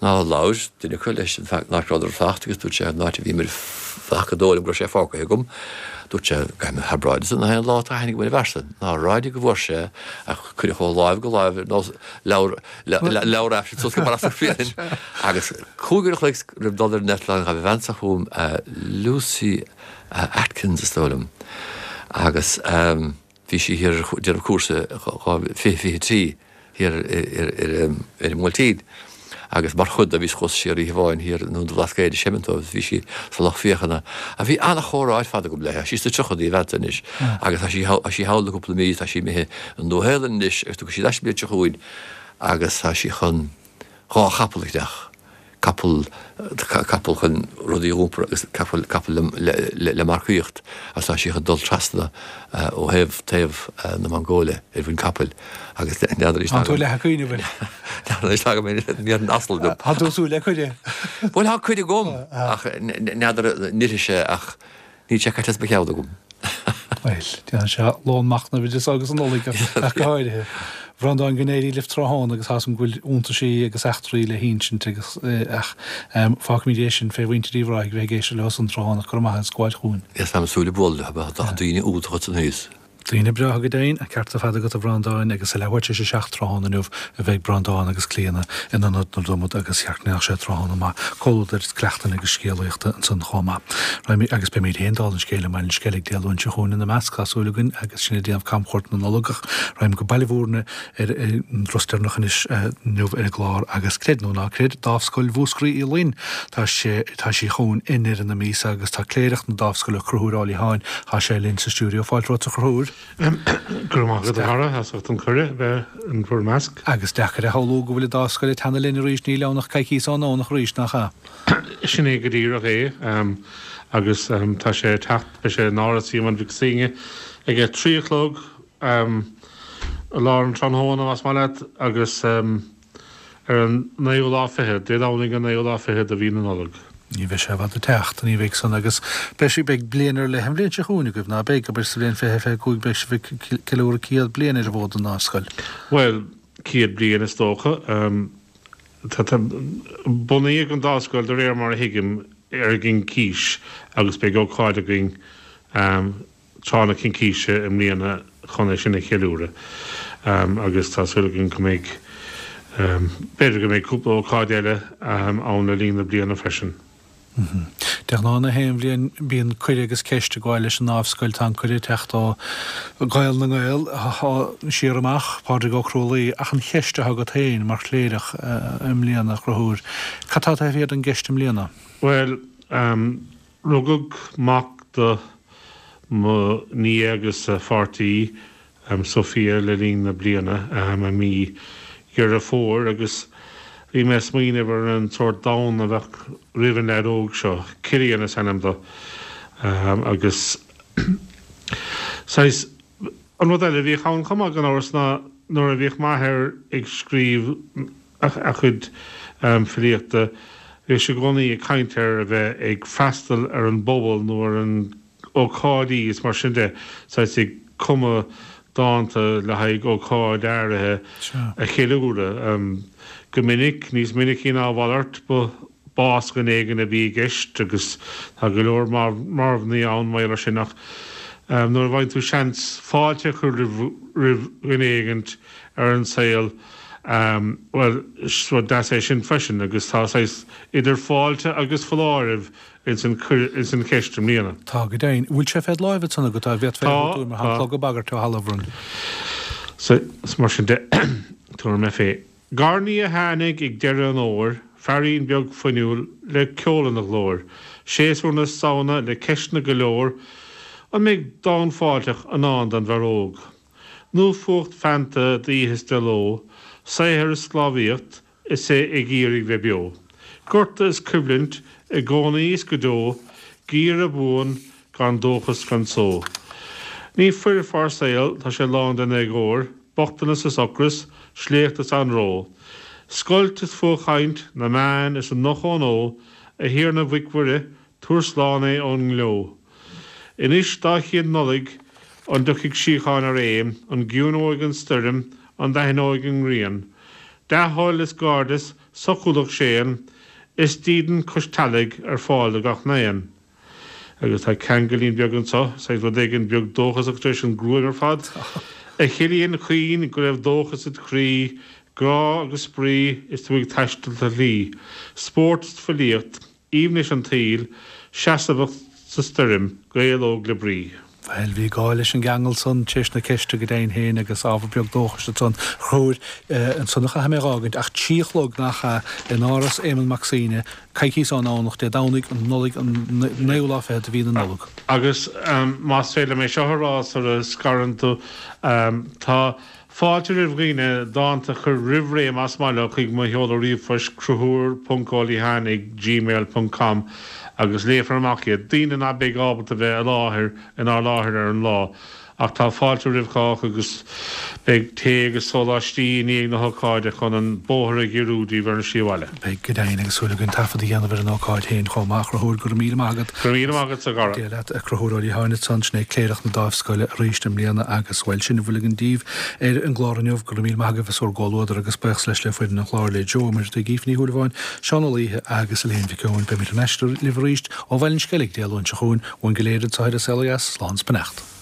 Ná labhair duine acu leis an fear nach rabhadar ag fanacht agus dúirt sé an áit a bhíomar ag fanacht gur dóigh liom go raibh sé fágtha agam. Dúirt sé go mbeadh bráid san aon lá atá aithne agam ar an bhfear san. Ná ráinig go bhfuair sé ach cuireadh ó láimh go láimh ar nós leabhar leabhar aifrinn suas go Barra Fiáin agus chúig uair a chloig roimh dul ar an eitleán ghabh a bhean sa chugam Lucy Atkins is dóigh liom agus Bhí sí thiar ag déanamh cúrsa 2023 thiar ar an mBuailtín agus mar chuid de bhíos chuas siar oíche amháin thiar i nDún an Bhlascaoid ag seimint dóibh agus bhí sí sa lucht féachana. Ach bhí an-chomhrá ar fad agam léi. Tá sí sna tríochadaí an bhean san anois agus tá sí tá sí thall le cúpla mí, tá sí imithe an Nua-Shéalainn anois agus tiocfaidh sí ar ais an bhliain seo chugainn agus tá sí chun 2 chapall a cheannach, capall, capall chun rudaí a iompar agus capall, capall le, le, le marcaíocht agus tá sí chun dul trasna ó thaobh, taobh na Mongóile ar mhuin capaill agus n'fheadar anois Tá tú leath ag cuimhneamh air. N'fheadar anois tagaim ar an asal liom. Tá tú ag súil le cuireadh. Bhuel tá cuireadh agam ach n'fheadar an oirfidh sé ach Níl sé caite as mo cheann agam. Bhuel, déanann sé lón machnaimh idir seo agus an Nollaig ach go háirithe. A Bhreandáin, go n-éirí libh tráthnóna agus tá's agam go bhfuil iontaisí agus eachtraí le hinsint agus ach fágfaimid é sin fé mhuintir Uíbh Ráthaigh bheith ag éisteacht leo san tráthnóna ach go raibh maith agat as gabháil chugainn. Is táim ag súil le bualadh leo, tá daoine iontacha ansan thíos. Daoine breátha go deimhin, an ceart ar fad agat a Bhreandáin agus a leathuair tar éis a 7 tráthnóna inniu a bheidh Breandán agus Clíona in Ionad na Dromad agus cheart go mbeadh sé tráthnóna maith comhluadair is cleachtain agus scéalaíochta ansan chomh maith. Raghaimid agus beimid féin dála an scéil i mBaile an Sceilg Dé Luain seo chugainn ina measc, tá súil againn agus sinn ag déanamh camchuairt na Nollag ach raghaim go Baile Bhúirne ar an dturas deireanach anois inniu ar an gclár agus creid nó ná creid, Dámhscoil Mhúscraí Uí Fhloinn, tá sé, tá sí chugainn i ndeireadh na míosa agus tá cléireach na Dámhscoile, Conchúr Ó Liatháin, tá sé linn sa stiúideo. Fáilte romhat a Chonchúir. Go raibh maith agat a Dhara, as ucht an cuireadh bheith in bhur measc. Agus deacair a shamhlú go bhfuil an Dámhscoil ag teannadh linn arís, níl ann ach coicíos ón nDomhnach arís, nach ea? Sin é go díreach é agus tá sé ag teacht, beidh sé in Áras Éamoinn Mhic Suibhne ag a 3 a chlog. I lár an tráthnóna, más maith leat, agus ar an naoú lá fichead, Dé Domhnaigh an naoú lá fichead de mhí na Nollag. Ní bheidh sé i bhfad ag teacht, ní bheidh san, agus beidh sí, beidh bliain ar leith an bhliain seo chugainn agaibh, ná beidh? Abair sa bhliain 2025 beidh sibh ag ceiliúradh 100 bliain ar an bhfód an Dámhscoil. Bhuel, 100 bliain is dócha. Tá, bunaíodh an Dámhscoil de réir mar a thuigim ar an gCincís agus beidh ócáid againn tráth na Cincíse i mbliana chun é sin a cheiliúradh agus tá súil againn go mbeidh, b'fhéidir go mbeidh cúpla ócáid eile ann le linn na bliana freisin. De ghnáth na haon bhliain bíonn cuireadh agus ceist ag gabháil leis an nDámhscoil. Tá an cuireadh ag teacht ó Ghael na nGael siar amach, Pádraig Ó Crualaoí, ach an cheist atá agat féin mar chléireach i mbliana, a Chonchúir, cad tá taobh thiar den gceist i mbliana? Bhuel, Rugadh mac do mo nia agus a pháirtí, Sophia, le linn na bliana, i mí Dheireadh Fómhair, agus bhí mé ag smaoineamh ar an sórt domhan a bheadh roimh an leaid óg seo, Cillian is ainm dó, agus saghas, an rud eile a bhíodh ann chomh maith, gan amhras, ná nuair a bhíodh m'athair ag scríobh a chuid filíochta, bhíodh sé i gcónaí ag caint ar a bheith ag freastal ar an bpobal nó ar an ócáidí is mar sin de, saghas ag cumadh. dánta le haghaidh ócáid áirithe a cheiliúradh. Go minic, níos minicí ná a mhalairt, ba bás dhuine éigin a bhí i gceist agus tá go leor marbhnaí ann mar gheall air sin ach nuair a bhfaigheann tú seans fáilte a chur roimh dhuine éigint ar an saol, bhuel, is rud deas é sin freisin agus tá saghas idir fáilte agus foláireamh ins an cheist i mbliana. Tá, go deimhin. Bhfuil sé fed láimh ansan agat, an bhféadfá é a thabhairt dúinn mar tá an clog ag bagairt ó thalamh orainn. Sea, is mar sin de, tabharfaidh mé fé. Garnaí a tháinig ag deireadh an fhómhair, feairín beag fuinniúil le ceol ina ghlór, séasúr na Samhna le ceisteanna go leor, an mbeidh dán fáilteach i ndán don bhfear óg? Nó fuacht feannta d'oíche is de ló, saothar is sclábhaíocht, is é ag iarraidh bheith beo. Gorta is coimhlint i gcónaí is go deo, geimhreadh buan gan dóchas gan só. Ní foirfe ár saol, tá sé lán den éagóir, bochtanas is ocras, sléacht is anró. Scoilt is fuathchaint, na meáin is an noch-ónó, a Thiarna Mhic Mhuire, Tabhair slán é ón ngleo. Anois dá chéad Nollaig, an dtiocfaidh síocháin a réim, an gciúnóidh an stoirm, an dtaitneoidh an ghrian? Dea-thoil is gairdeas, socúlacht séan, is dídean cois teallaigh ar fáil do gach n-aon. Agus tá ceangailín beag anso, saghas rud éigin beag dóchasach tar éis an gruaim ar fad. A Chilliain chaoin, go raibh dóchas id chroí, grá agus spraoi is tú ag taisteal do shlí. Spórt is filíocht, Aoibhneas an tsaoil, seasmhacht sa stoirm, Gael óg le brí. Bhuel, bhí gá leis an gceangal san tar éis na ceiste go deimhin féin agus ábhar beag dóchais ansan. A Chonchúir, ansan a chaithfidh mé a dh'fhágaint, ach trí a chlog nach ea, in Áras Éamonn Mac Suibhne, coicíos ón nDomhnach, Dé Domhnaigh, an Nollaig, an naoú lá fichead de mhí na Nollag. Agus más féidir liom é seo a rá sara scarann tú, tá Fáilte roimh dhaoine dánta a chur roimh ré más maith leo chuig mo sheoladh ríomhphoist conchúr ponc ó liatháin ag gmail ponc com agus léifear amach iad. Daoine ná beidh ábalta bheith i láthair inár láthair ar an lá. Ach tá fáilte roimh chách agus beidh tae agus sóláistí i ndiaidh na hócáide chun an bóthar a ghiorrú díbh ar an slí abhaile. Beidh go deimhin agus súil againn taifead a dhéanamh ar an ócáid féin chomh maith. A Chonchúir, go raibh míle maith agat. Go raibh míle maith agatsa, a Dhara. Dia leat, a Chonchúr Ó Liatháin ansan, sin é Cléireach na Dáimhscoile arís i mbliana agus, bhuel, sin a bhfuil againn daoibh ar an gclár inniu. Go raibh míle maith agaibh as bhur gcomhluadar agus buíochas leis le foireann an chláir, le Joe Ó Muircheartaigh, Aoife Ní Shúilleabháin, Seán Ó Laoithe agus Elaine Mhic Eoin. Beimid thar n-ais libh arís ó Bhaile an Sceilg Dé Luain seo chugainn. Uainn go léir anseo ar An Saol Ó Dheas, slán is beannacht.